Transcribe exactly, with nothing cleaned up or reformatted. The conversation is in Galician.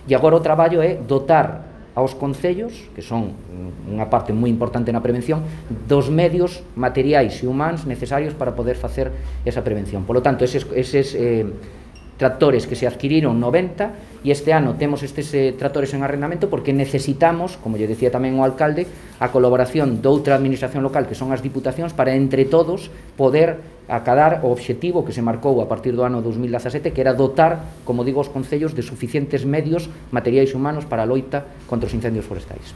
E agora o traballo é dotar aos concellos, que son unha parte moi importante na prevención, dos medios materiais e humanos necesarios para poder facer esa prevención. Por lo tanto, eses, eses eh, tractores que se adquiriron noventa, e este ano temos estes eh, tractores en arrendamento porque necesitamos, como lle decía tamén o alcalde, a colaboración de outra administración local, que son as diputacións, para entre todos poder acadar o obxectivo que se marcou a partir do ano dos mil dezasete, que era dotar, como digo, os concellos de suficientes medios materiais e humanos para a loita contra os incendios forestais.